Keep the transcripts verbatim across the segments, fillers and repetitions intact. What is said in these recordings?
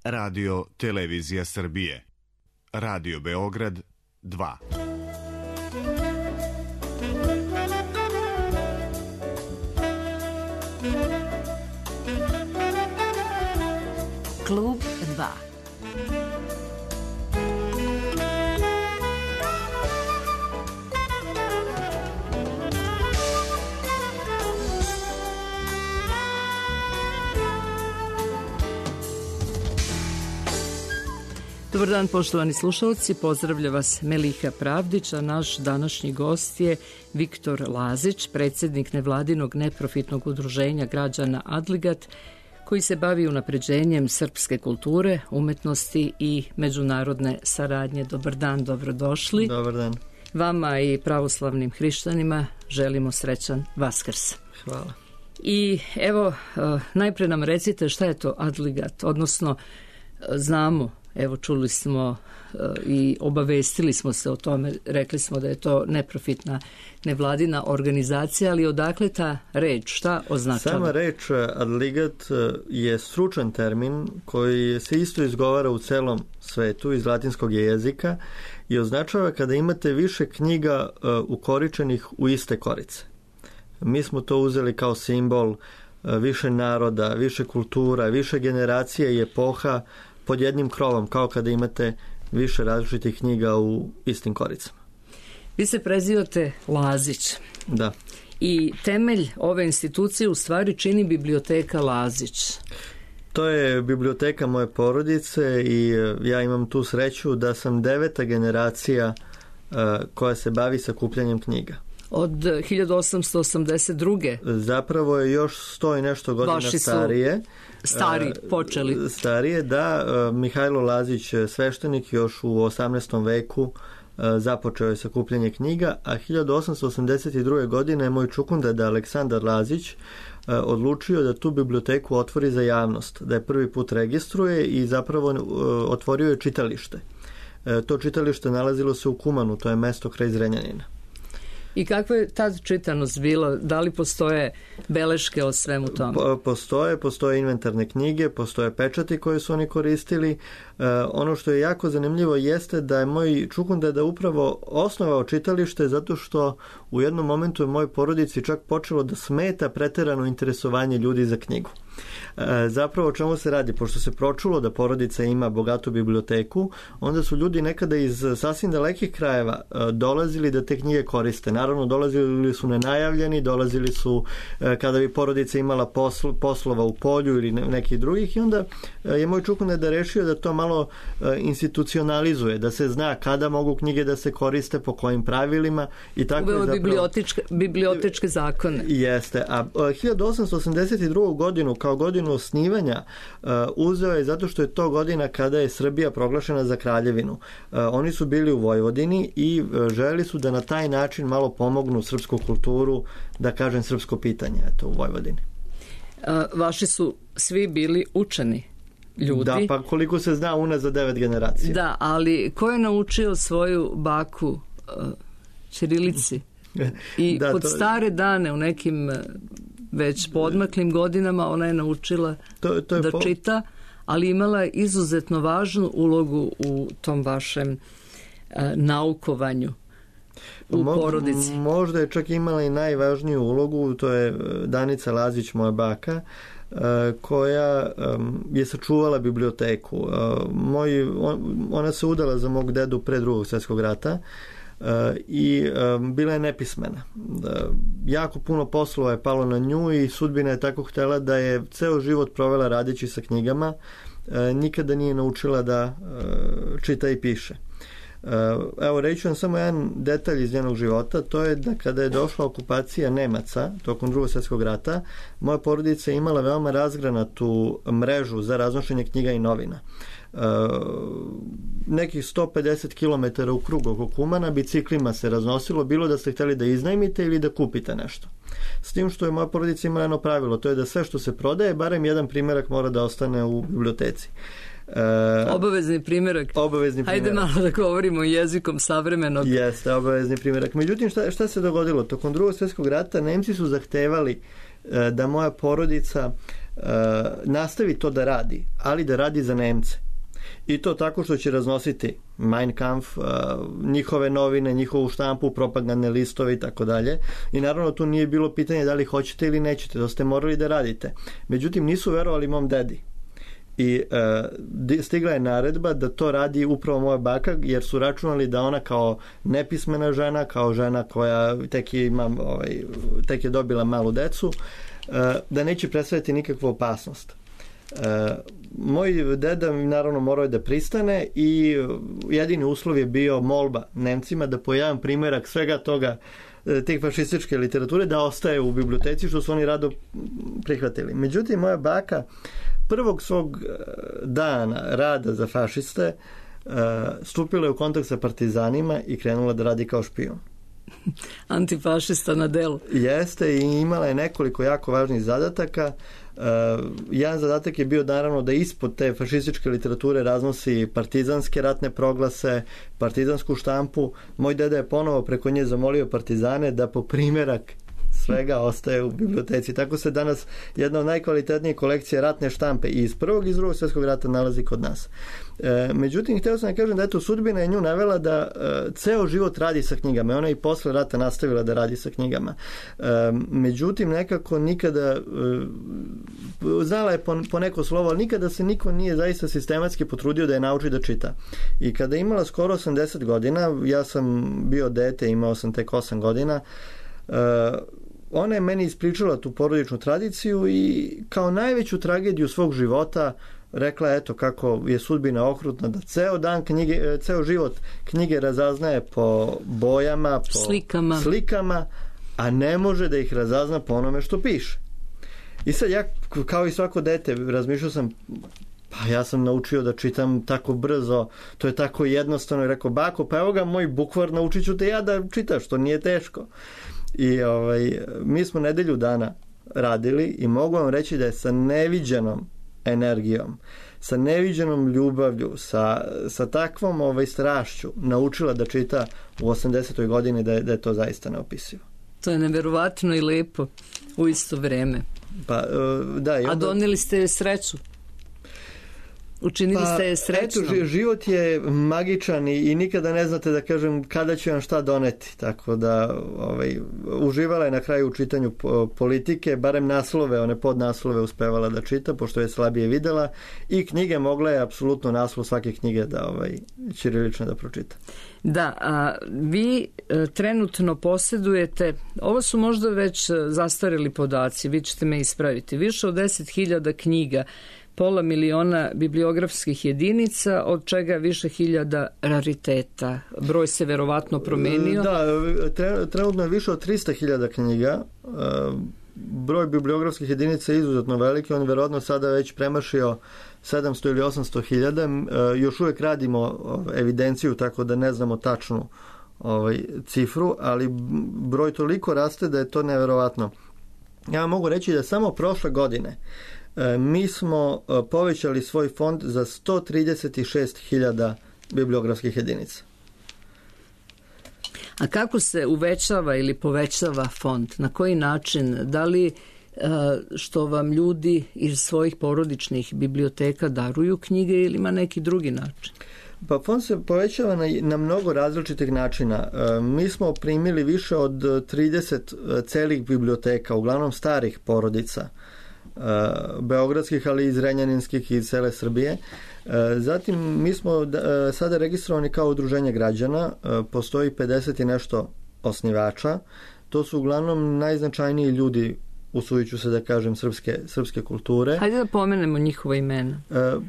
Radio Televizija Srbije. Radio Beograd dva. Klub dva. Dobar dan, poštovani slušalci, pozdravlja vas Meliha Pravdić, a naš današnji gost je Viktor Lazić, predsjednik nevladinog neprofitnog udruženja građana Adligat, koji se bavi unapređenjem srpske kulture, umetnosti i međunarodne saradnje. Dobar dan, dobrodošli. Dobar dan. Vama i pravoslavnim hrišćanima želimo srećan Vaskrs. Hvala. I evo, najpre nam recite šta je to Adligat, odnosno znamo, evo čuli smo i obavestili smo se o tome, rekli smo da je to neprofitna nevladina organizacija, ali odakle ta reč, šta označava? Sama reč Adligat je stručan termin koji se isto izgovara u celom svetu iz latinskog jezika i označava kada imate više knjiga ukoričenih u iste korice. Mi smo to uzeli kao simbol više naroda, više kultura, više generacija i epoha pod jednim krovom, kao kada imate više različitih knjiga u istim koricama. Vi se prezivate Lazić. Da. I temelj ove institucije u stvari čini biblioteka Lazić. To je biblioteka moje porodice i ja imam tu sreću da sam deveta generacija uh, koja se bavi sakupljanjem knjiga. Od hiljadu osamsto osamdeset druge. Zapravo je još sto i nešto godina Vaši starije. Stari počeli. Starije, da. Mihajlo Lazić, sveštenik, još u osamnaestom veku započeo je sakupljanje knjiga, a hiljadu osamsto osamdeset druge godine moj čukundeda Aleksandar Lazić odlučio da tu biblioteku otvori za javnost, da je prvi put registruje i zapravo otvorio je čitalište. To čitalište nalazilo se u Kumanu, to je mesto kraj Zrenjanina. I kakva je tad čitanost bila? Da li postoje beleške o svemu tome? Po, postoje, postoje inventarne knjige, postoje pečati koje su oni koristili. E, ono što je jako zanimljivo jeste da je moj čukundeda upravo osnovao čitalište zato što u jednom momentu je mojoj porodici čak počelo da smeta preterano interesovanje ljudi za knjigu. E, zapravo o čemu se radi? Pošto se pročulo da porodica ima bogatu biblioteku, onda su ljudi nekada iz sasvim dalekih krajeva e, dolazili da te knjige koriste. Naravno, dolazili su nenajavljeni, dolazili su e, kada bi porodica imala posl, poslova u polju ili ne, nekih drugih i onda e, je moj čukundeda rešio da to malo e, institucionalizuje, da se zna kada mogu knjige da se koriste, po kojim pravilima i tako Uveo je zapravo... bibliotečke, bibliotečke zakone. Jeste, a e, hiljadu osamsto osamdeset drugu godinu kao godinu osnivanja uh, uzeo je zato što je to godina kada je Srbija proglašena za kraljevinu. Uh, oni su bili u Vojvodini i uh, želeli su da na taj način malo pomognu srpsku kulturu, da kažem srpsko pitanje, eto, u Vojvodini. Uh, vaši su svi bili učeni ljudi. Da, pa koliko se zna unazad devet generacija. Da, ali ko je naučio svoju baku uh, ćirilici? I da, pod to... stare dane u nekim već podmaklim godinama ona je naučila to, to je da po... čita, ali imala je izuzetno važnu ulogu u tom vašem uh, naukovanju u Mo, porodici. Možda je čak imala i najvažniju ulogu, to je Danica Lazić, moja baka, uh, koja um, je sačuvala biblioteku. Uh, moj, on, ona se udala za mog dedu pre drugog svjetskog rata. Uh, i um, bila je nepismena. Uh, jako puno poslova je palo na nju i sudbina je tako htjela da je ceo život provela radeći sa knjigama. Uh, nikada nije naučila da uh, čita i piše. Uh, evo, reću vam samo jedan detalj iz njenog života, to je da kada je došla okupacija Nemaca tokom drugog svjetskog rata, moja porodica je imala veoma razgranatu mrežu za raznošenje knjiga i novina. Uh, nekih sto pedeset kilometara u krug oko Kumana biciklima se raznosilo, bilo da ste htjeli da iznajmite ili da kupite nešto. S tim što je moja porodica imala jedno pravilo, to je da sve što se prodaje, barem jedan primjerak mora da ostane u biblioteci. Uh, obavezni primjerak. Obavezni primjerak. Hajde malo da govorimo jezikom savremenog. Jeste, obavezni primjerak. Međutim, šta, šta se dogodilo? Tokom drugog svjetskog rata Nemci su zahtevali uh, da moja porodica nastavi to da radi, ali da radi za Nemce. I to tako što će raznositi Mein Kampf, njihove novine, njihovu štampu, propagandne listove i tako dalje. I naravno tu nije bilo pitanje da li hoćete ili nećete, to ste morali da radite. Međutim, nisu verovali mom dedi. I uh, stigla je naredba da to radi upravo moja baka, jer su računali da ona kao nepismena žena, kao žena koja tek je, ima, ovaj, tek je dobila malu decu, uh, da neće predstaviti nikakvu opasnost. Uh, moj deda naravno morao je da pristane i jedini uslov je bio molba Nemcima da po jedan primjerak svega toga, te fašističke literature, da ostaje u biblioteci, što su oni rado prihvatili. Međutim, moja baka prvog svog dana rada za fašiste stupila je u kontakt sa partizanima i krenula da radi kao špijun. Antifašista na delu. Jeste, i imala je nekoliko jako važnih zadataka. Uh, jedan zadatak je bio naravno da ispod te fašističke literature raznosi partizanske ratne proglase, partizansku štampu. Moj deda je ponovo preko nje zamolio partizane da po primjerak svega ostaje u biblioteci. Tako se danas jedna od najkvalitetnijih kolekcija ratne štampe i iz prvog i iz drugog svjetskog rata nalazi kod nas. E, međutim, htio sam da kažem da eto, sudbina je nju navela da e, ceo život radi sa knjigama. Ona je i posle rata nastavila da radi sa knjigama. E, međutim, nekako nikada e, znala je po, po neko slovo, ali nikada se niko nije zaista sistematski potrudio da je nauči da čita. I kada je imala skoro osamdeset godina, ja sam bio dete, imao sam tek osam godina, e, ona je meni ispričala tu porodičnu tradiciju i kao najveću tragediju svog života rekla eto kako je sudbina okrutna, da ceo dan knjige, ceo život knjige razaznaje po bojama, po slikama. slikama, a ne može da ih razazna po onome što piše. I sad ja kao i svako dete razmišljao sam, pa ja sam naučio da čitam tako brzo, to je tako jednostavno, i rekao, bako, pa evo ga moj bukvar, naučit ću te ja da čitaš, to nije teško. I ovaj, mi smo nedelju dana radili i mogu vam reći da je sa neviđenom energijom, sa neviđenom ljubavlju, sa, sa takvom ovaj, strašću naučila da čita u osamdesetoj godini, da je, da je to zaista neopisivo. To je neverovatno i lepo u isto vreme. Pa, da, i onda... A doneli ste sreću? Učinili pa, ste je srećnom? Eto, život je magičan i, i nikada ne znate da kažem kada će vam šta doneti. Tako da ovaj, uživala je na kraju u čitanju politike, barem naslove, one podnaslove uspevala da čita, pošto je slabije videla, i knjige mogla je apsolutno naslov svake knjige da ovaj, ćirilično da pročita. Da, a vi e, trenutno posjedujete, ovo su možda već zastareli podaci, vi ćete me ispraviti, više od deset hiljada knjiga, pola miliona bibliografskih jedinica, od čega više hiljada rariteta. Broj se verovatno promenio. Da, trenutno je više od trista hiljada knjiga. Broj bibliografskih jedinica je izuzetno veliki, on verovatno sada već premašio sedamsto ili osamsto hiljada. Još uvijek radimo evidenciju, tako da ne znamo tačnu ovaj, cifru, ali broj toliko raste da je to neverovatno. Ja mogu reći da samo prošle godine mi smo povećali svoj fond za sto trideset šest hiljada bibliografskih jedinica. A kako se uvećava ili povećava fond? Na koji način? Da li što vam ljudi iz svojih porodičnih biblioteka daruju knjige ili ima neki drugi način? Pa fond se povećava na, na mnogo različitih načina. Mi smo primili više od trideset celih biblioteka, uglavnom starih porodica, beogradskih, ali i iz Renjaninskih i iz cele Srbije. Zatim mi smo sada registrovani kao udruženje građana, postoji pedeset i nešto osnivača, to su uglavnom najznačajniji ljudi, usudit ću se da kažem, srpske, srpske kulture. Hajde da pomenemo njihova imena.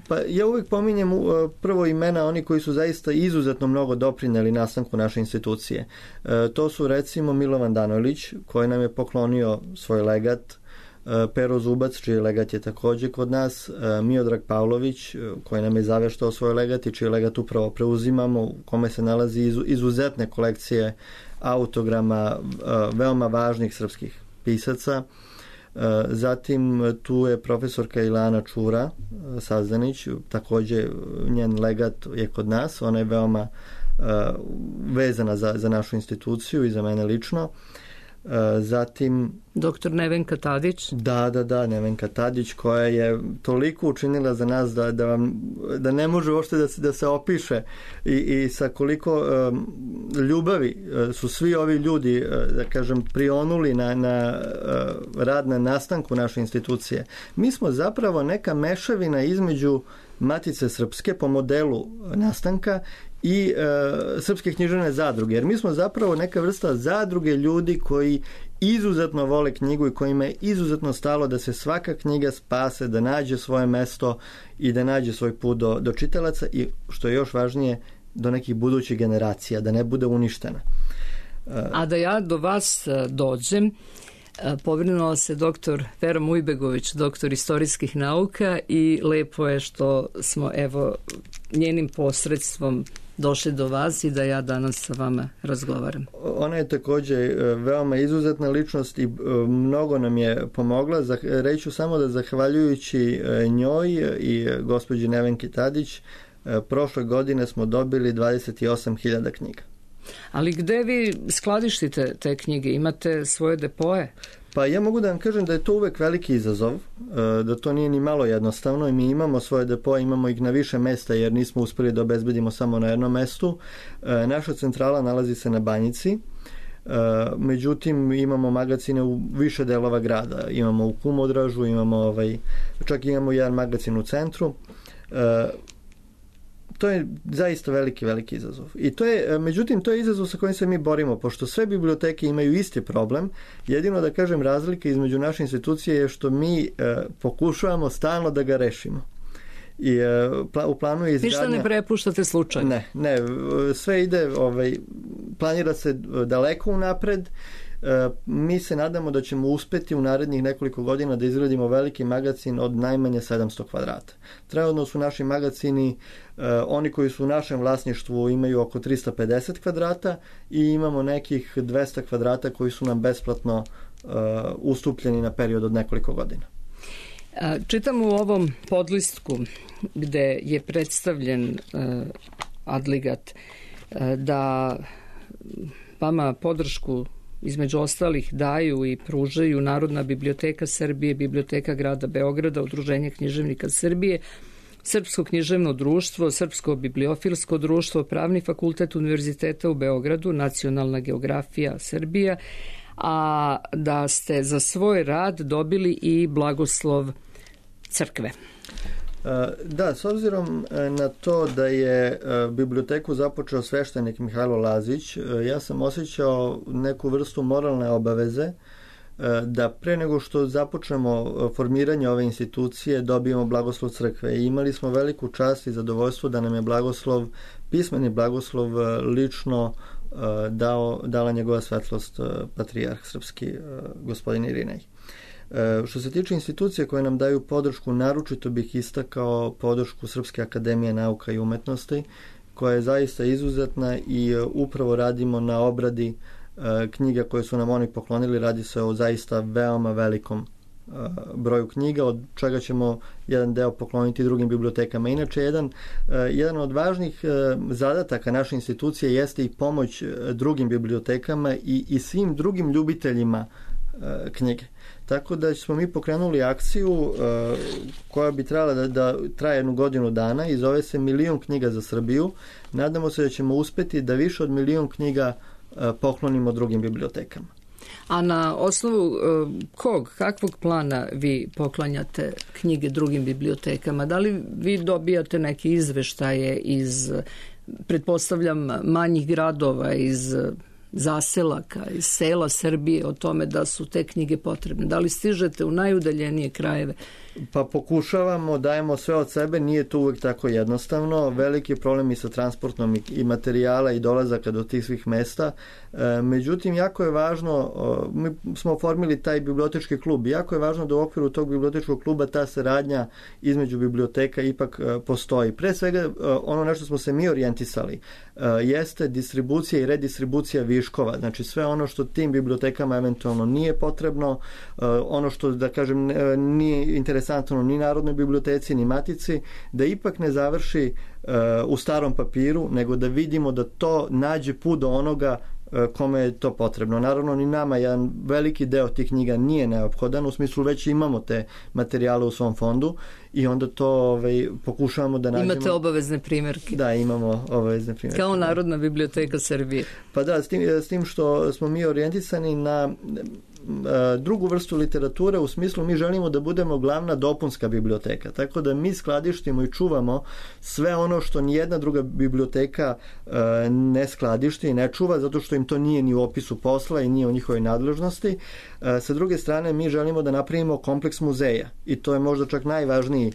Pa ja uvijek pominjem prvo imena oni koji su zaista izuzetno mnogo doprineli nastanku naše institucije. To su recimo Milovan Danojlić, koji nam je poklonio svoj legat, Pero Zubac, čiji legat je također kod nas, Miodrag Pavlović, koji nam je zaveštao svoj legat i čiji legat upravo preuzimamo, u kome se nalazi izuzetne kolekcije autograma veoma važnih srpskih pisaca. Zatim tu je profesorka Ilana Čura Sazdanić, također njen legat je kod nas, ona je veoma vezana za, za našu instituciju i za mene lično. Zatim doktor Nevenka Tadić. Da, da, da, Nevenka Tadić, koja je toliko učinila za nas da, da, vam, da ne može uopšte da se, da se opiše i, i sa koliko um, ljubavi uh, su svi ovi ljudi, uh, da kažem, prionuli na, na uh, rad na nastanku naše institucije. Mi smo zapravo neka mešavina između Matice Srpske po modelu nastanka i e, Srpske književne zadruge, jer mi smo zapravo neka vrsta zadruge ljudi koji izuzetno vole knjigu i kojima je izuzetno stalo da se svaka knjiga spase, da nađe svoje mesto i da nađe svoj put do, do čitalaca i, što je još važnije, do nekih budućih generacija, da ne bude uništena. A da ja do vas dođem, povinula se doktor Vera Mujbegović, doktor istorijskih nauka, i lepo je što smo evo njenim posredstvom došli do vas i da ja danas sa vama razgovaram. Ona je također veoma izuzetna ličnost i mnogo nam je pomogla. Reću samo da zahvaljujući njoj i gospođi Nevenki Tadić prošle godine smo dobili dvadeset osam hiljada knjiga. Ali gde vi skladištite te knjige? Imate svoje depoje? Pa ja mogu da vam kažem da je to uvek veliki izazov, da to nije ni malo jednostavno i mi imamo svoje depoje, imamo ih na više mesta jer nismo uspeli da obezbedimo samo na jednom mestu. Naša centrala nalazi se na Banjici, međutim imamo magazine u više delova grada, imamo u Kumodražu, imamo ovaj, čak imamo jedan magazin u centru. To je zaista veliki, veliki izazov. I to je, međutim, to je izazov sa kojim se mi borimo, pošto sve biblioteke imaju isti problem. Jedino da kažem razlika između naše institucije je što mi e, pokušavamo stalno da ga rešimo. I e, pla, u planu je izgradnja... Ništa ne prepuštate slučajno? Ne, ne, sve ide, ovaj, planira se daleko unapred. Mi se nadamo da ćemo uspeti u narednih nekoliko godina da izgradimo veliki magazin od najmanje sedamsto kvadrata. Trenutno su naši magazini, oni koji su u našem vlasništvu imaju oko tristo pedeset kvadrata i imamo nekih dvesta kvadrata koji su nam besplatno ustupljeni na period od nekoliko godina. Čitam u ovom podlistku gde je predstavljen Adligat da vama podršku između ostalih daju i pružaju Narodna biblioteka Srbije, Biblioteka grada Beograda, Udruženje književnika Srbije, Srpsko književno društvo, Srpsko bibliofilsko društvo, Pravni fakultet Univerziteta u Beogradu, Nacionalna geografija Srbija, a da ste za svoj rad dobili i blagoslov crkve. Da, s obzirom na to da je biblioteku započeo sveštenik Mihajlo Lazić, ja sam osjećao neku vrstu moralne obaveze da pre nego što započnemo formiranje ove institucije dobijemo blagoslov crkve. I imali smo veliku čast i zadovoljstvo da nam je blagoslov, pismeni blagoslov lično dao, dala njegova svetlost patrijarh srpski gospodin Irinej. Što se tiče institucije koje nam daju podršku, naročito bih istakao podršku Srpske akademije nauka i umetnosti, koja je zaista izuzetna i upravo radimo na obradi knjiga koje su nam oni poklonili. Radi se o zaista veoma velikom broju knjiga, od čega ćemo jedan deo pokloniti drugim bibliotekama. Inače, jedan, jedan od važnih zadataka naše institucije jeste i pomoć drugim bibliotekama i, i svim drugim ljubiteljima knjige. Tako da smo mi pokrenuli akciju uh, koja bi trebala da, da traje jednu godinu dana i zove se Milion knjiga za Srbiju. Nadamo se da ćemo uspeti da više od milion knjiga uh, poklonimo drugim bibliotekama. A na osnovu uh, kog, kakvog plana vi poklanjate knjige drugim bibliotekama? Da li vi dobijate neke izveštaje iz, pretpostavljam, manjih gradova, iz zaselaka, iz sela Srbije o tome da su te knjige potrebne? Da li stižete u najudaljenije krajeve? Pa pokušavamo, dajemo sve od sebe, nije to uvek tako jednostavno. Veliki problem i sa transportnom i, i materijala i dolazaka do tih svih mesta. E, međutim, jako je važno, mi smo oformili taj bibliotečki klub, jako je važno da u okviru tog bibliotečkog kluba ta saradnja između biblioteka ipak e, postoji. Pre svega, e, ono na što smo se mi orijentisali e, jeste distribucija i redistribucija viškova. Znači, sve ono što tim bibliotekama eventualno nije potrebno, e, ono što, da kažem, nije interesantno ni Narodnoj biblioteci, ni Matici, da ipak ne završi uh, u starom papiru, nego da vidimo da to nađe put do onoga kome je to potrebno. Naravno, ni nama jedan veliki deo tih knjiga nije neophodan, u smislu već imamo te materijale u svom fondu i onda to ovaj, pokušavamo da nađemo. Imate obavezne primjerke. Da, imamo obavezne primjerke. Kao Narodna biblioteka Srbije. Pa da, s tim, s tim što smo mi orijentisani na drugu vrstu literature, u smislu mi želimo da budemo glavna dopunska biblioteka, tako da mi skladištimo i čuvamo sve ono što nijedna druga biblioteka ne skladišti i ne čuva, zato što im to nije ni u opisu posla i nije u njihovoj nadležnosti. Sa druge strane, mi želimo da napravimo kompleks muzeja i to je možda čak najvažniji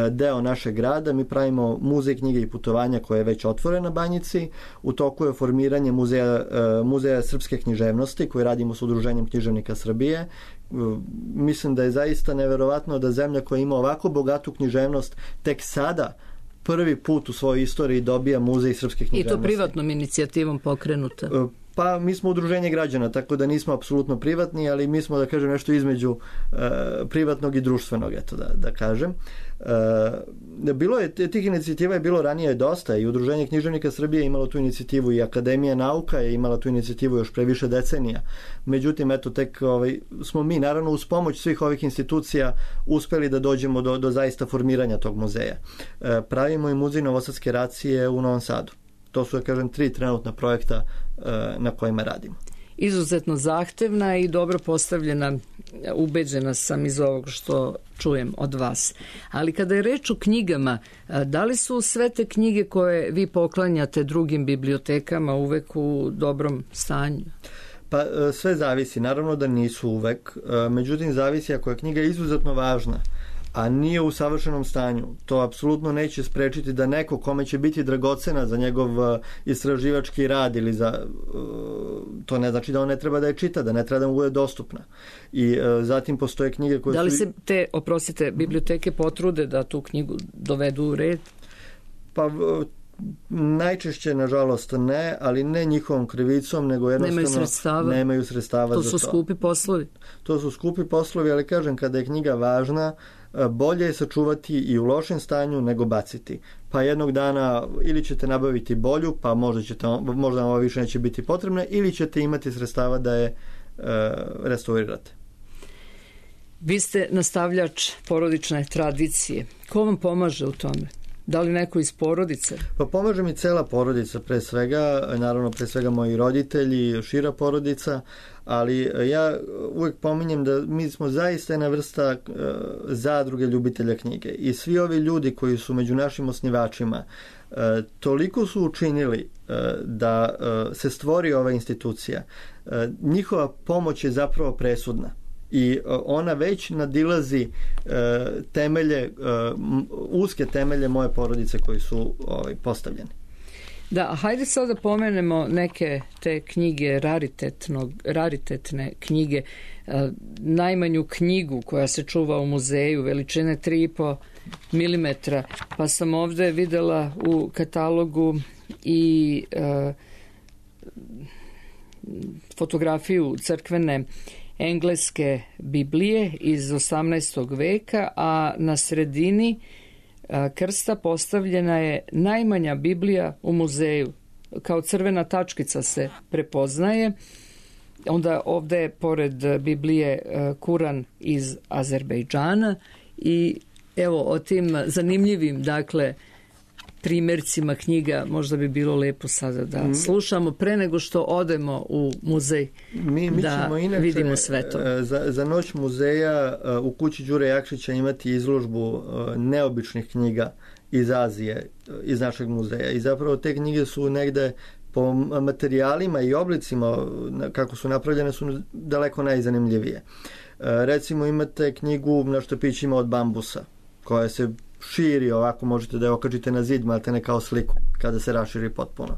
deo našeg grada. Mi pravimo muzej knjige i putovanja koji je već otvoren na Banjici. U toku je formiranje muzeja, muzeja srpske književnosti koji radimo s Udruženjem književnika Srbije. Mislim da je zaista neverovatno da zemlja koja ima ovako bogatu književnost tek sada prvi put u svojoj istoriji dobija muzej srpske književnosti. I to privatnom inicijativom pokrenuta. Pa mi smo udruženje građana, tako da nismo apsolutno privatni, ali mi smo, da kažem, nešto između e, privatnog i društvenog, eto da, da kažem. E, bilo je, tih inicijativa je bilo ranije dosta i Udruženje književnika Srbije je imalo tu inicijativu i Akademija nauka je imala tu inicijativu još pre više decenija. Međutim, eto, tek ovaj, smo mi, naravno, uz pomoć svih ovih institucija uspeli da dođemo do, do zaista formiranja tog muzeja. E, pravimo i muzej novosadske racije u Novom Sadu. To su, da kažem, tri trenutna projekta na kojima radimo. Izuzetno zahtevna i dobro postavljena, ubeđena sam iz ovog što čujem od vas. Ali kada je reč o knjigama, da li su sve te knjige koje vi poklanjate drugim bibliotekama uvek u dobrom stanju? Pa sve zavisi. Naravno da nisu uvek. Međutim, zavisi ako je knjiga izuzetno važna, a nije u savršenom stanju, to apsolutno neće sprečiti da neko kome će biti dragocena za njegov istraživački rad ili za to ne znači da on ne treba da je čita, da ne treba da mu bude dostupna. I zatim postoje knjige koje su... Da li su... se te, oprostite, biblioteke potrude da tu knjigu dovedu u red? Pa najčešće, nažalost, ne, ali ne njihovom krivicom, nego jednostavno nemaju sredstava, nemaju sredstava to za su to. skupi poslovi. To su skupi poslovi, ali kažem, kada je knjiga važna, bolje je sačuvati i u lošem stanju nego baciti. Pa jednog dana ili ćete nabaviti bolju, pa možda, ćete, možda vam ovo više neće biti potrebna, ili ćete imati sredstava da je e, restaurirate. Vi ste nastavljač porodične tradicije. Ko vam pomaže u tome? Da li neko iz porodice? Pa pomaže mi cela porodica, pre svega, naravno pre svega moji roditelji, šira porodica, ali ja uvek pominjem da mi smo zaista jedna vrsta uh, zadruge ljubitelja knjige i svi ovi ljudi koji su među našim osnivačima uh, toliko su učinili uh, da uh, se stvori ova institucija. Uh, njihova pomoć je zapravo presudna. I ona već nadilazi e, temelje, e, uske temelje moje porodice koji su ovaj, postavljeni. Da, hajde sad da pomenemo neke te knjige, raritetnog, raritetne knjige. E, najmanju knjigu koja se čuva u muzeju, veličine tri i po milimetra, pa sam ovde videla u katalogu i e, fotografiju crkvene engleske Biblije iz osamnaestog veka, a na sredini krsta postavljena je najmanja Biblija u muzeju. Kao crvena tačkica se prepoznaje. Onda ovde je pored Biblije Kuran iz Azerbejdžana i evo o tim zanimljivim, dakle, primjercima knjiga možda bi bilo lepo sada da mm. slušamo pre nego što odemo u muzej mi, mi da ćemo inače, vidimo sve to. Za, za noć muzeja u kući Đure Jakšića imati izložbu neobičnih knjiga iz Azije, iz našeg muzeja. I zapravo te knjige su negde po materijalima i oblicima kako su napravljene su daleko najzanimljivije. Recimo imate knjigu na štapićima od bambusa koja se širi, ovako možete da je okačite na zid, malte ne kao sliku kada se raširi potpuno.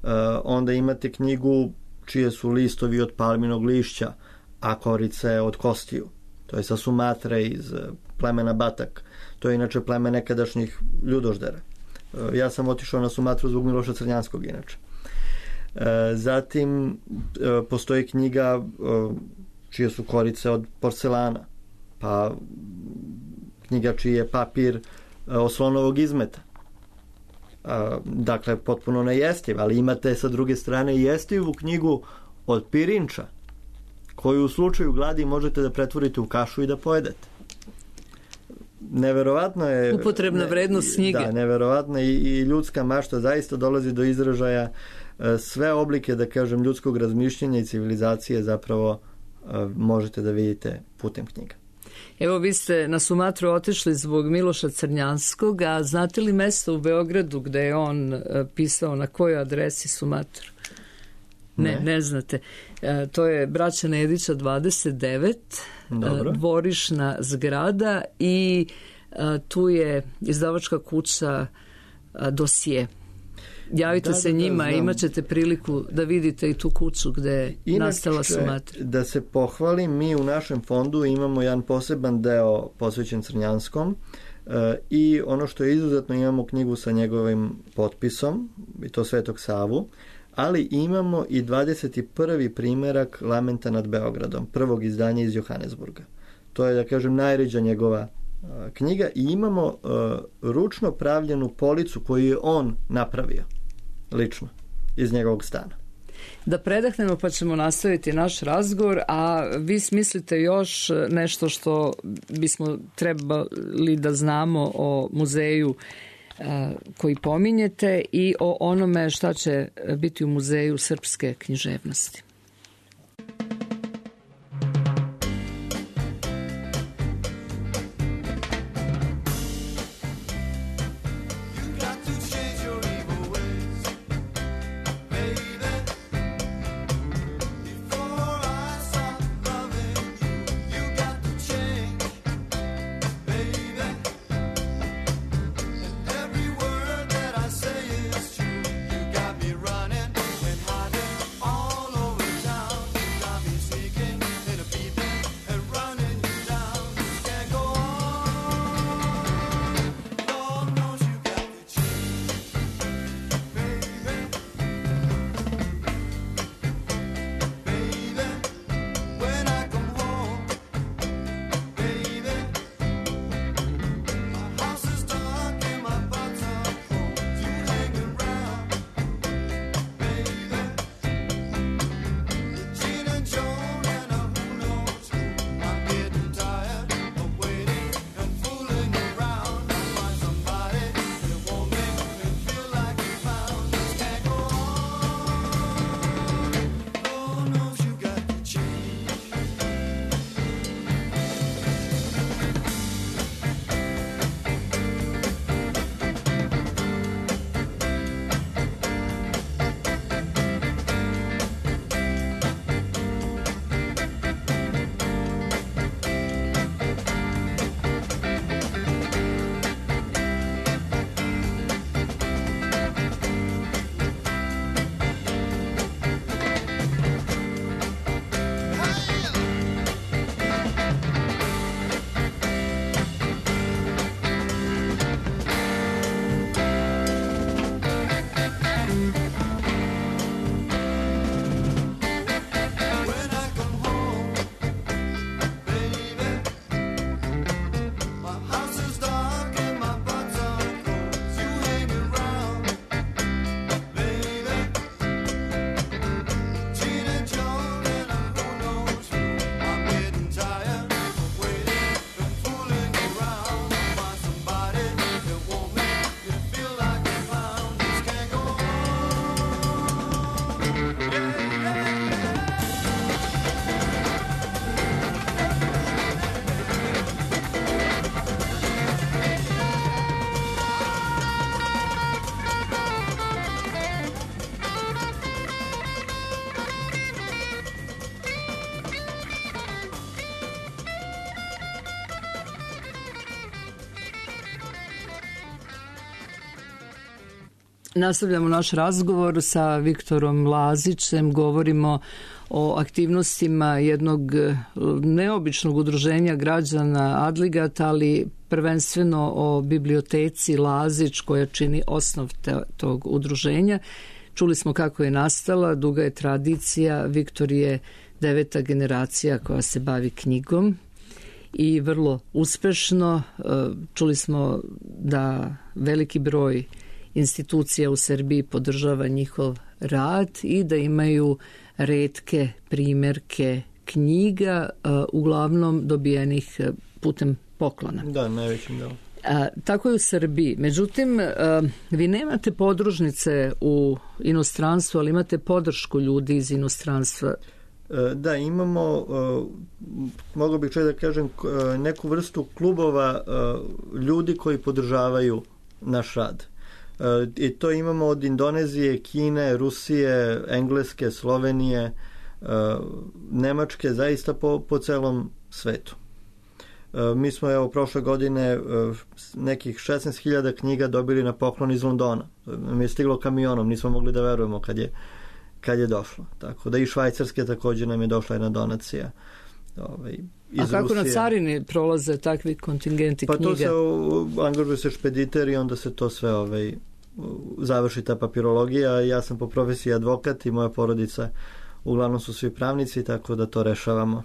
Uh, onda imate knjigu čije su listovi od palminog lišća, a korice od kostiju. To je sa Sumatre iz plemena Batak. To je inače pleme nekadašnjih ljudoždera. Uh, ja sam otišao na Sumatru zbog Miloša Crnjanskog inače. Uh, zatim uh, postoji knjiga uh, čije su korice od porcelana, pa knjiga čiji je papir oslonovog izmeta. dakle potpuno nejestiv, ali imate sa druge strane jestivu knjigu od pirinča, koju u slučaju gladi možete da pretvorite u kašu i da pojedete. Neverovatno je... Upotrebna vrednost knjige. Da, neverovatno i, i ljudska mašta zaista dolazi do izražaja. Sve oblike, da kažem, ljudskog razmišljanja i civilizacije zapravo možete da vidite putem knjiga. Evo, vi ste na Sumatru otišli zbog Miloša Crnjanskog, a znate li mesto u Beogradu gde je on pisao, na kojoj adresi Sumatru? Ne, ne, ne znate. E, to je Braća Nedića dvadeset devet, Dobro. dvorišna zgrada i a, tu je izdavačka kuća a, Dosije. Javite da, se da, njima, da, imat ćete priliku da vidite i tu kuću gde je Inače, nastala Sumatra. Da se pohvalim, mi u našem fondu imamo jedan poseban deo posvećen Crnjanskom e, i ono što je izuzetno, imamo knjigu sa njegovim potpisom, i to Svetog Savu, ali imamo i dvadeset prvi primerak Lamenta nad Beogradom, prvog izdanja iz Johannesburga. To je, da kažem, najređa njegova uh, knjiga i imamo uh, ručno pravljenu policu koju je on napravio, lično, iz njegovog stana. Da predahnemo pa ćemo nastaviti naš razgovor, a vi smislite još nešto što bismo trebali da znamo o muzeju koji pominjete i o onome šta će biti u Muzeju srpske književnosti. Nastavljamo naš razgovor sa Viktorom Lazićem, govorimo o aktivnostima jednog neobičnog udruženja građana Adligat, ali prvenstveno o biblioteci Lazić koja čini osnov te, tog udruženja. Čuli smo kako je nastala, duga je tradicija, Viktor je deveta generacija koja se bavi knjigom i vrlo uspešno. Čuli smo da veliki broj institucija u Srbiji podržava njihov rad i da imaju retke primjerke knjiga, uglavnom dobijenih putem poklona. Da, najvećim delom. A, tako je u Srbiji. Međutim, a, vi nemate podružnice u inostranstvu, ali imate podršku ljudi iz inostranstva. Da, imamo, mogu bih čak da kažem, neku vrstu klubova ljudi koji podržavaju naš rad. I to imamo od Indonezije, Kine, Rusije, Engleske, Slovenije, Nemačke, zaista po, po celom svetu. Mi smo evo prošle godine nekih šesnaest hiljada knjiga dobili na poklon iz Londona. Mi je stiglo kamionom, nismo mogli da verujemo kad je, kad je došlo. Tako da i Švajcarske također nam je došla jedna donacija. Ovaj, iz A kako Rusije. Na carini prolaze takvi kontingenti pa knjiga? Pa to se angažuje se špediter i onda se to sve ovaj, završi ta papirologija. Ja sam po profesiji advokat i moja porodica uglavnom su svi pravnici, tako da to rešavamo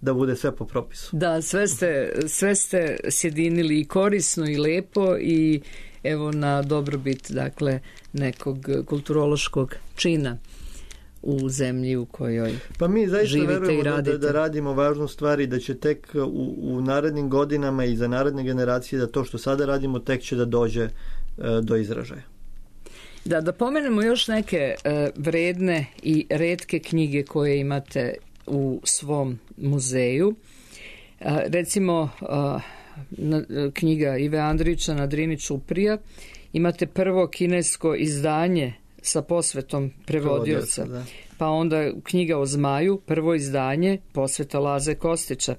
da bude sve po propisu. Da, sve ste, sve ste sjedinili i korisno i lepo i evo na dobrobit, dakle, nekog kulturološkog čina u zemlji u kojoj pa mi zaista živite verujemo i radite. Da, da radimo važnu stvar i da će tek u, u narednim godinama i za naredne generacije da to što sada radimo tek će da dođe e, do izražaja. Da, da pomenemo još neke e, vredne i retke knjige koje imate u svom muzeju. E, recimo e, na, knjiga Ive Andrića Na Drini Ćuprija. Imate prvo kinesko izdanje sa posvetom prevodioca. Pa onda knjiga o zmaju, prvo izdanje, posveta Laze Kostića.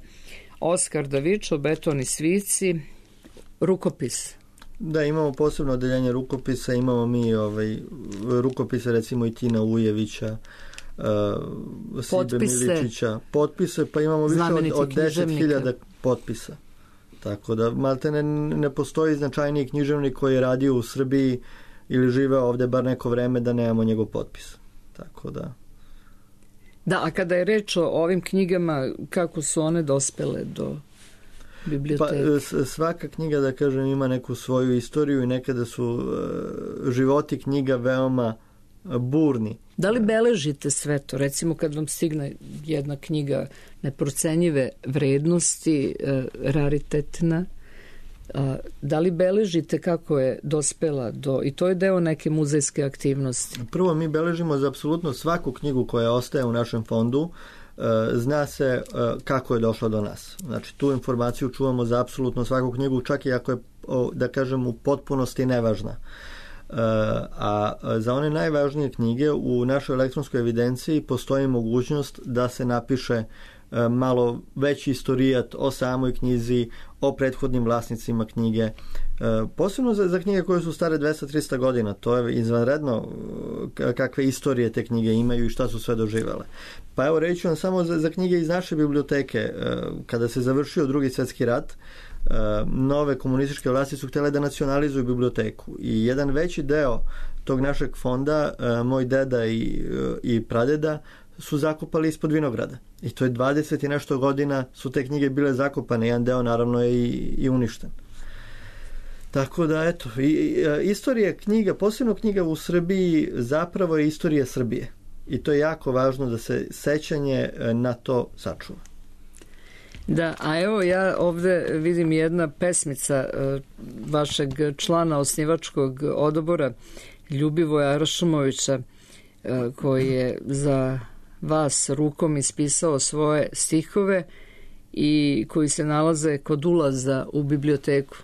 Oskar Davičo, Beton i svici, rukopis. Da, imamo posebno odeljenje rukopisa, imamo mi ovaj, rukopise recimo i Tina Ujevića, uh, Sibe Miličića, potpise, pa imamo više od, od deset hiljada potpisa. Tako da, malte ne, ne postoji značajniji književnik koji je radio u Srbiji ili živeo ovde bar neko vreme da nemamo njegov potpis. Tako da... Da, a kada je reč o ovim knjigama, kako su one dospele do biblioteke? Pa svaka knjiga, da kažem, ima neku svoju istoriju i nekada su uh, životi knjiga veoma burni. Da li beležite sve to? Recimo kad vam stigne jedna knjiga neprocenjive vrednosti, uh, raritetna, uh, da li beležite kako je dospela do... I to je deo neke muzejske aktivnosti. Prvo, mi beležimo za apsolutno svaku knjigu koja ostaje u našem fondu. Zna se kako je došla do nas. Znači, tu informaciju čuvamo za apsolutno svaku knjigu, čak i ako je, da kažem, u potpunosti nevažna. A za one najvažnije knjige u našoj elektronskoj evidenciji postoji mogućnost da se napiše malo veći istorijat o samoj knjizi, o prethodnim vlasnicima knjige. Posebno za, za knjige koje su stare dvesta do trista godina. To je izvanredno kakve istorije te knjige imaju i šta su sve doživele. Pa evo reći vam samo za, za knjige iz naše biblioteke. Kada se završio Drugi svjetski rat, nove komunističke vlasti su htjele da nacionalizuju biblioteku. I jedan veći deo tog našeg fonda, moj deda i, i pradeda, su zakopali ispod vinograda. I to je dvadeset i nešto godina su te knjige bile zakopane. Jedan deo naravno je i, i uništen. Tako da, eto, i, i, istorija knjiga, posebno knjiga u Srbiji, zapravo je istorija Srbije. I to je jako važno da se sećanje na to sačuva. Da, a evo ja ovde vidim jedna pesmica vašeg člana osnivačkog odbora Ljubivoja Aršumovića, koji je za vas rukom ispisao svoje stihove i koji se nalaze kod ulaza u biblioteku.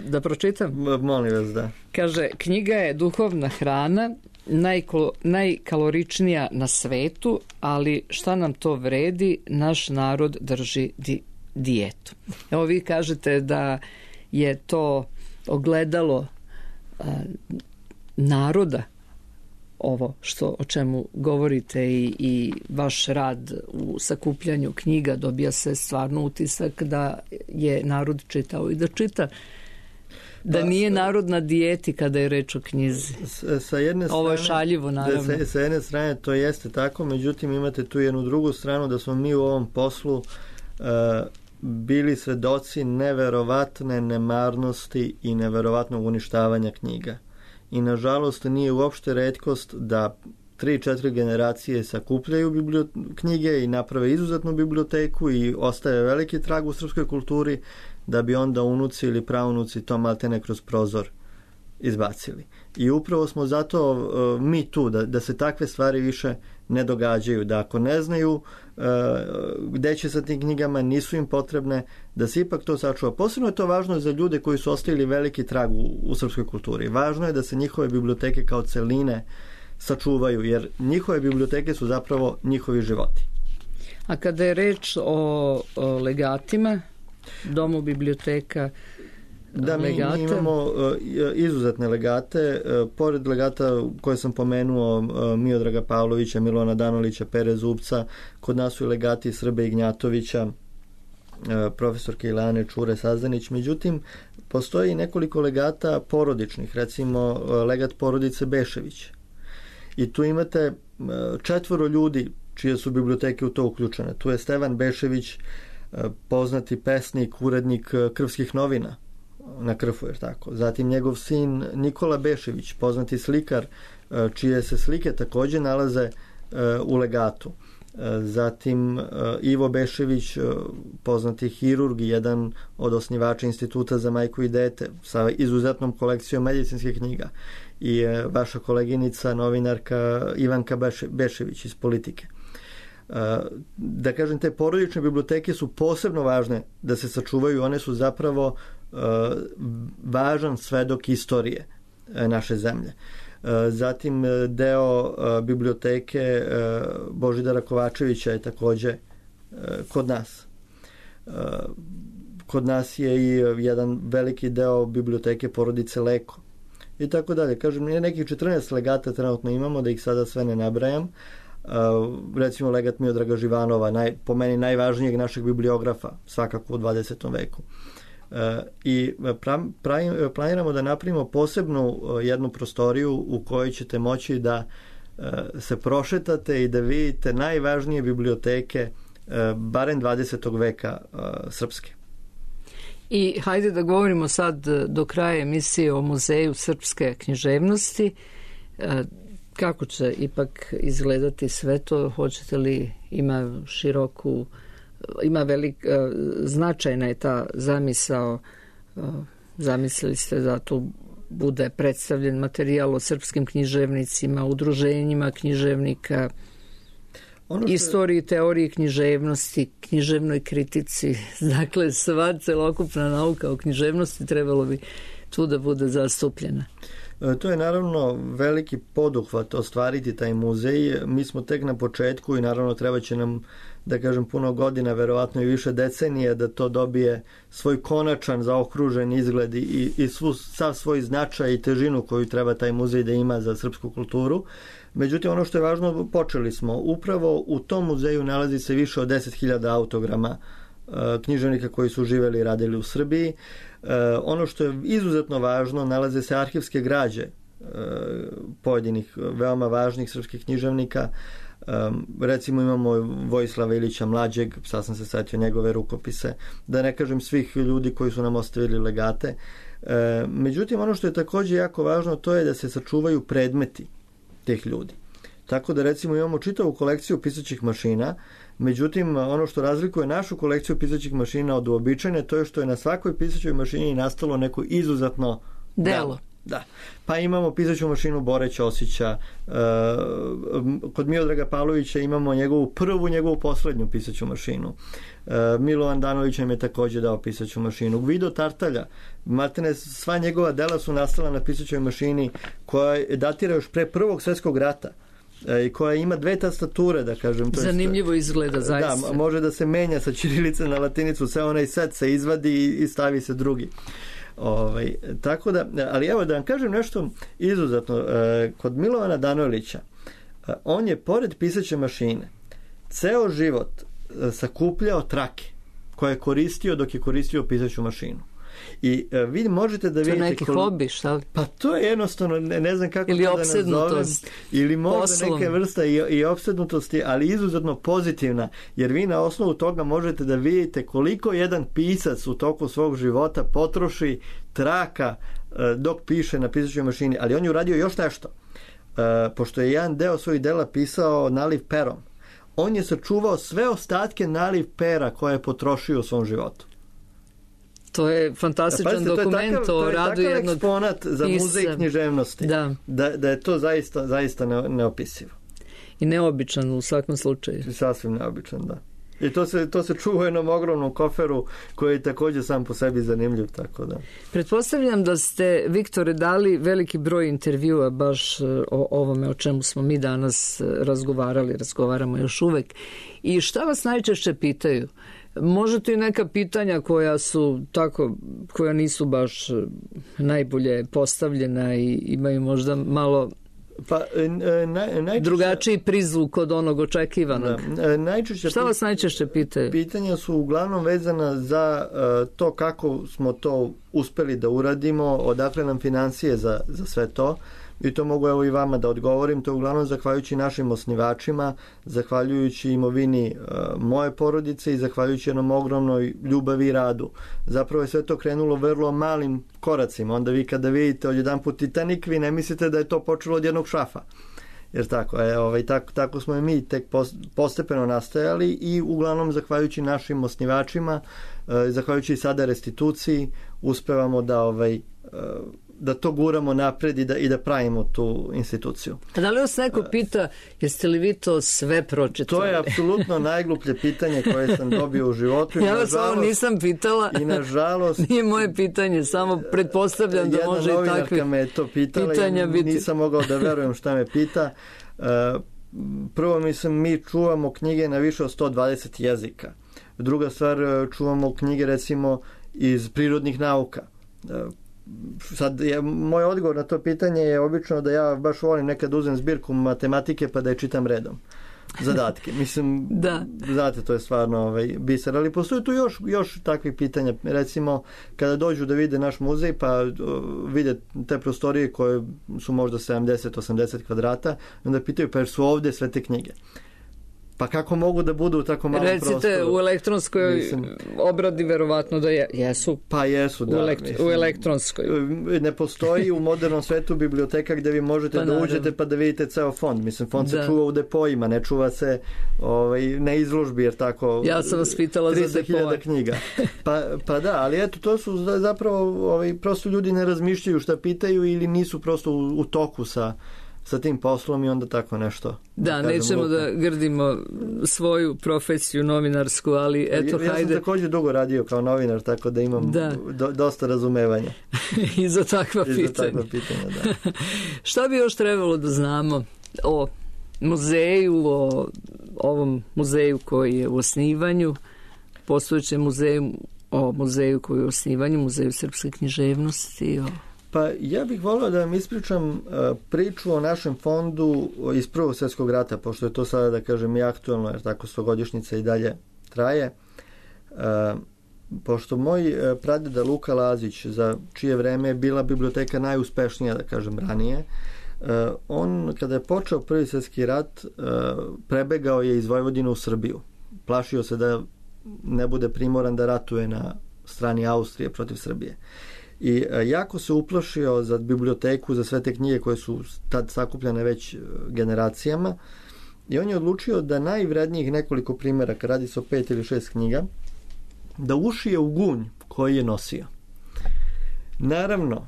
Da pročitam? Molim vas, da. Kaže, knjiga je duhovna hrana, najko, najkaloričnija na svetu, ali šta nam to vredi, naš narod drži di, dijetu. Evo vi kažete da je to ogledalo a, naroda, ovo što o čemu govorite i, i vaš rad u sakupljanju knjiga, dobija se stvarno utisak da je narod čitao i da čita, da nije narod na dijeti kada je reč o knjizi. Sa jedne strane, ovo je šaljivo, naravno. Sa, sa jedne strane to jeste tako, međutim imate tu jednu drugu stranu da smo mi u ovom poslu uh, bili svedoci neverovatne nemarnosti i neverovatnog uništavanja knjiga. I nažalost nije uopšte retkost da tri, četiri generacije sakupljaju bibliot- knjige i naprave izuzetnu biblioteku i ostaje veliki trag u srpskoj kulturi, da bi onda unuci ili praunuci to maltene kroz prozor izbacili. I upravo smo zato uh, mi tu, da, da se takve stvari više ne događaju, da ako ne znaju uh, gde će sa tim knjigama, nisu im potrebne, da se ipak to sačuva. Posebno je to važno za ljude koji su ostavili veliki trag u, u srpskoj kulturi. Važno je da se njihove biblioteke kao celine sačuvaju, jer njihove biblioteke su zapravo njihovi životi. A kada je reč o, o legatima, domu biblioteka, Da, mi, mi imamo uh, izuzetne legate. Uh, pored legata koje sam pomenuo, uh, Miodraga Pavlovića, Milovana Danolića, Pere Zubca, kod nas su i legati Srbe Ignjatovića, uh, profesorke Ilane Čure Sazdanić. Međutim, postoji nekoliko legata porodičnih, recimo uh, legat porodice Bešević. I tu imate uh, četvoro ljudi čije su biblioteke u to uključene. Tu je Stevan Bešević, uh, poznati pesnik, urednik uh, Krvskih novina na Krfu, jer tako. Zatim njegov sin Nikola Bešević, poznati slikar, čije se slike takođe nalaze u legatu. Zatim Ivo Bešević, poznati hirurg, jedan od osnivača Instituta za majku i dete, sa izuzetnom kolekcijom medicinskih knjiga. I vaša koleginica, novinarka Ivanka Bešević iz Politike. Da kažem, te porodične biblioteke su posebno važne da se sačuvaju. One su zapravo važan svedok istorije naše zemlje. Zatim deo biblioteke Božidara Kovačevića je takođe kod nas. Kod nas je i jedan veliki deo biblioteke porodice Leko. I tako dalje. Kažem, nekih četrnaest legata trenutno imamo, da ih sada sve ne nabrajam. Recimo legat Miodraga Živanova, naj, po meni najvažnijeg našeg bibliografa, svakako u dvadesetom veku. I pra, pra, planiramo da napravimo posebnu jednu prostoriju u kojoj ćete moći da se prošetate i da vidite najvažnije biblioteke barem dvadesetog veka srpske. I hajde da govorimo sad do kraja emisije o Muzeju srpske književnosti. Kako će ipak izgledati sve to? Hoćete li, ima široku, ima velik, značajna je ta zamisao, zamislili ste da tu bude predstavljen materijal o srpskim književnicima, udruženjima književnika, ono što... istoriji, teoriji književnosti, književnoj kritici. Dakle, sva celokupna nauka o književnosti trebalo bi tu da bude zastupljena. To je naravno veliki poduhvat ostvariti taj muzej. Mi smo tek na početku i naravno treba će nam, da kažem, puno godina, verovatno i više decenije, da to dobije svoj konačan zaokružen izgled i, i svu, sav svoj značaj i težinu koju treba taj muzej da ima za srpsku kulturu. Međutim, ono što je važno, počeli smo. Upravo u tom muzeju nalazi se više od deset hiljada autograma književnika koji su živeli i radili u Srbiji. Ono što je izuzetno važno, nalaze se arhivske građe pojedinih veoma važnih srpskih književnika. Recimo imamo Vojislava Ilića Mlađeg, sad sam se setio njegove rukopise, da ne kažem svih ljudi koji su nam ostavili legate. Međutim, ono što je takođe jako važno, to je da se sačuvaju predmeti tih ljudi. Tako da recimo imamo čitavu kolekciju pisaćih mašina. Međutim, ono što razlikuje našu kolekciju pisaćih mašina od uobičajene, to je što je na svakoj pisaćoj mašini nastalo neko izuzetno delo. Da. Pa imamo pisaću mašinu Bore Ćosića, e, kod Miodraga Pavlovića imamo njegovu prvu, njegovu poslednju pisaću mašinu. E, Milovan Danović nam je takođe dao pisaću mašinu. Gvido Tartalja, matene, sva njegova dela su nastala na pisaćoj mašini koja datira još pre Prvog svjetskog rata i koja ima dve tastature, da kažem. To zanimljivo jest, izgleda, zaista. Da, može da se menja sa ćirilice na latinicu, sve onaj set se izvadi i stavi se drugi. Ovaj, tako da, ali evo da vam kažem nešto izuzetno. Kod Milovana Danojlića, on je pored pisaće mašine ceo život sakupljao trake koje je koristio dok je koristio pisaću mašinu. I uh, vi možete da vidite... vidite... To je neki kol... hobi, šta li? Pa to je jednostavno, ne, ne znam kako ili to da nazovem. Ili možda poslom. Neka vrsta i, i opsednutosti, ali izuzetno pozitivna, jer vi na osnovu toga možete da vidite koliko jedan pisac u toku svog života potroši traka uh, dok piše na pisaćoj mašini, ali on je uradio još nešto. Uh, pošto je jedan deo svojih dela pisao naliv perom, on je sačuvao sve ostatke naliv pera koje je potrošio u svom životu. To je fantastičan Pazite, dokument to o radu jednog... To je takav eksponat za pisa. muzej književnosti. Da. Da, da je to zaista, zaista ne, neopisivo. I neobičan u svakom slučaju. Sasvim neobičan, da. I to se, to se čuva u jednom ogromnom koferu koji je također sam po sebi zanimljiv, tako da. Pretpostavljam da ste, Viktore, dali veliki broj intervjua baš o ovome o čemu smo mi danas razgovarali, razgovaramo još uvek. I šta vas najčešće pitaju? Možete i neka pitanja koja su tako, koja nisu baš najbolje postavljena i imaju možda malo... Pa, naj, najčešće, drugačiji prizvuk od onog očekivanog. Da, najčešće, šta vas najčešće pitaju? Pitanja su uglavnom vezana za uh, to kako smo to uspeli da uradimo, odakle nam financije za, za sve to. I to mogu evo i vama da odgovorim. To je uglavnom zahvaljujući našim osnivačima, zahvaljujući imovini uh, moje porodice i zahvaljujući jednom ogromnoj ljubavi i radu. Zapravo je sve to krenulo vrlo malim koracima. Onda vi kada vidite odjedanput Titanic, vi ne mislite da je to počelo od jednog šrafa. Jer tako, je, ovaj, tako, tako smo i mi tek postepeno nastajali i uglavnom zahvaljujući našim osnivačima, uh, zahvaljujući sada restituciji, uspevamo da ovaj uh, da to guramo napred i da, i da pravimo tu instituciju. A da li vas neko pita, jeste li vi to sve pročitali? To je apsolutno najgluplje pitanje koje sam dobio u životu. Ja vas ovo nisam pitala. I nažalost... Nije moje pitanje, samo pretpostavljam da može i takvi jedna novinarka me je to pitala i biti. Nisam mogao da verujem šta me pita. Prvo, mislim, mi čuvamo knjige na više od sto dvadeset jezika. Druga stvar, čuvamo knjige recimo iz prirodnih nauka. Sad, je, moj odgovor na to pitanje je obično da ja baš volim nekad uzem zbirku matematike pa da je čitam redom zadatke. Mislim, da. Znate, to je stvarno ovaj, biser, ali postoji tu još, još takvih pitanja. Recimo, kada dođu da vide naš muzej pa uh, vide te prostorije koje su možda sedamdeset osamdeset kvadrata, onda pitaju pa jer su ovdje sve te knjige. Pa kako mogu da budu u tako malom Recite, prostoru? Recite, u elektronskoj mislim, obradi verovatno da je, jesu. Pa jesu, da. U, elekt, mislim, u elektronskoj. Ne postoji u modernom svetu biblioteka gdje vi možete pa, da uđete naravno. Pa da vidite ceo fond. Mislim, fond da. se čuva u depojima, ne čuva se ovaj, na izložbi, jer tako... Ja sam vas pitala za tristo hiljada knjiga. Pa, pa da, ali eto, to su zapravo, ovaj, prosto ljudi ne razmišljaju šta pitaju ili nisu prosto u, u toku sa... sa tim poslom i onda tako nešto. Da, da nećemo lupa. da grdimo svoju profesiju novinarsku, ali eto, ja, hajde. Ja sam također dugo radio kao novinar, tako da imam da. Do, dosta razumevanja. I za takva I pitanja. Za takva pitanja, da. Šta bi još trebalo da znamo o muzeju, o ovom muzeju koji je u osnivanju, postojećem muzeju, o muzeju koji je u osnivanju, muzeju srpske književnosti, o... Pa ja bih volio da vam ispričam uh, priču o našem fondu iz Prvog svjetskog rata, pošto je to sada, da kažem, i aktualno, jer tako stogodišnjica i dalje traje. Uh, pošto moj uh, pradeda Luka Lazić, za čije vreme je bila biblioteka najuspešnija, da kažem, ranije, uh, on, kada je počeo Prvi svjetski rat, uh, prebegao je iz Vojvodine u Srbiju. Plašio se da ne bude primoran da ratuje na strani Austrije protiv Srbije. I jako se uplašio za biblioteku, za sve te knjige koje su tad sakupljane već generacijama i on je odlučio da najvrednijih nekoliko primjeraka, radi se o pet ili šest knjiga, da ušije u gunj koji je nosio. Naravno,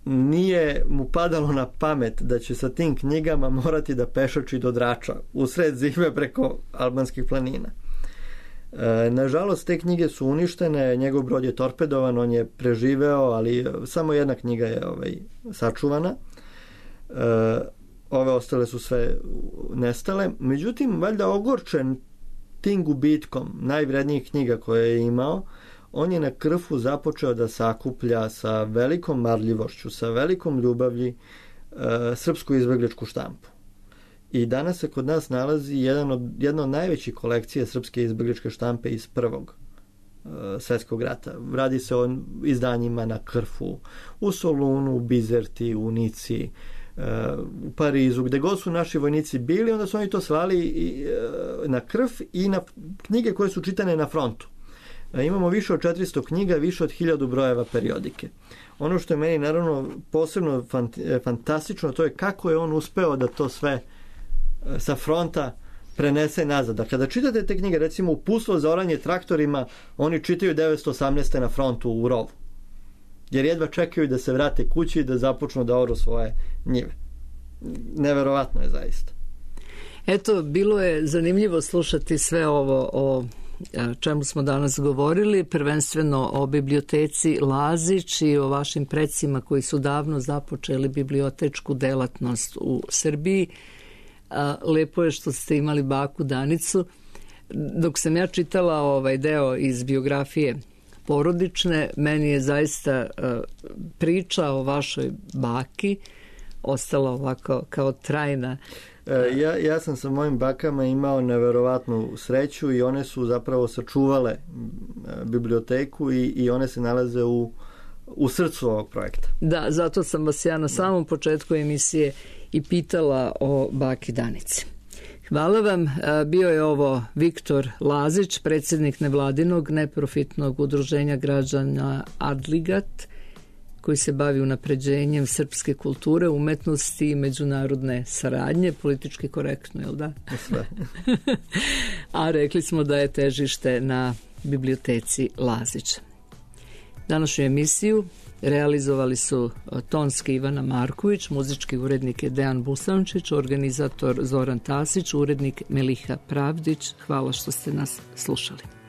nije mu padalo na pamet da će sa tim knjigama morati da pešači do Drača u sred zime preko albanskih planina. E, nažalost, te knjige su uništene, njegov brod je torpedovan, on je preživeo, ali samo jedna knjiga je ovaj, sačuvana. E, ove ostale su sve nestale. Međutim, valjda ogorčen tim gubitkom najvrednijih knjiga koje je imao, on je na Krfu započeo da sakuplja sa velikom marljivošću, sa velikom ljubavlji e, srpsku izbegličku štampu. I danas se kod nas nalazi jedan od, jedna od najvećih kolekcija srpske izbegličke štampe iz Prvog svjetskog rata. Radi se o izdanjima na Krfu, u Solunu, u Bizerti, u Nici, u Parizu, gde god su naši vojnici bili, onda su oni to slali na Krf i na knjige koje su čitane na frontu. Imamo više od četiristo knjiga, više od hiljadu brojeva periodike. Ono što je meni naravno posebno fantastično, to je kako je on uspeo da to sve sa fronta prenese nazad. Da kada čitate te knjige, recimo Uputstvo za oranje traktorima, oni čitaju devetsto osamnaeste. na frontu u rovu. Jer jedva čekaju da se vrate kući i da započnu da oru svoje njive. Neverovatno je zaista. Eto, bilo je zanimljivo slušati sve ovo o čemu smo danas govorili, prvenstveno o biblioteci Lazić i o vašim predsima koji su davno započeli bibliotečku delatnost u Srbiji. Lepo je što ste imali baku Danicu. Dok sam ja čitala ovaj deo iz biografije porodične, meni je zaista priča o vašoj baki ostala ovako kao trajna. Ja, ja sam sa mojim bakama imao neverovatnu sreću i one su zapravo sačuvale biblioteku i, i one se nalaze u, u srcu ovog projekta. Da, zato sam vas ja na samom početku emisije i pitala o baki Danici. Hvala vam. Bio je ovo Viktor Lazić, predsjednik nevladinog neprofitnog udruženja građana Adligat, koji se bavi unapređenjem srpske kulture, umetnosti i međunarodne saradnje, politički korektno, jel da? Sve. A rekli smo da je težište na biblioteci Lazić. Današnju emisiju realizovali su tonski Ivana Marković, muzički urednik je Dejan Busančić, organizator Zoran Tasić, urednik Meliha Pravdić. Hvala što ste nas slušali.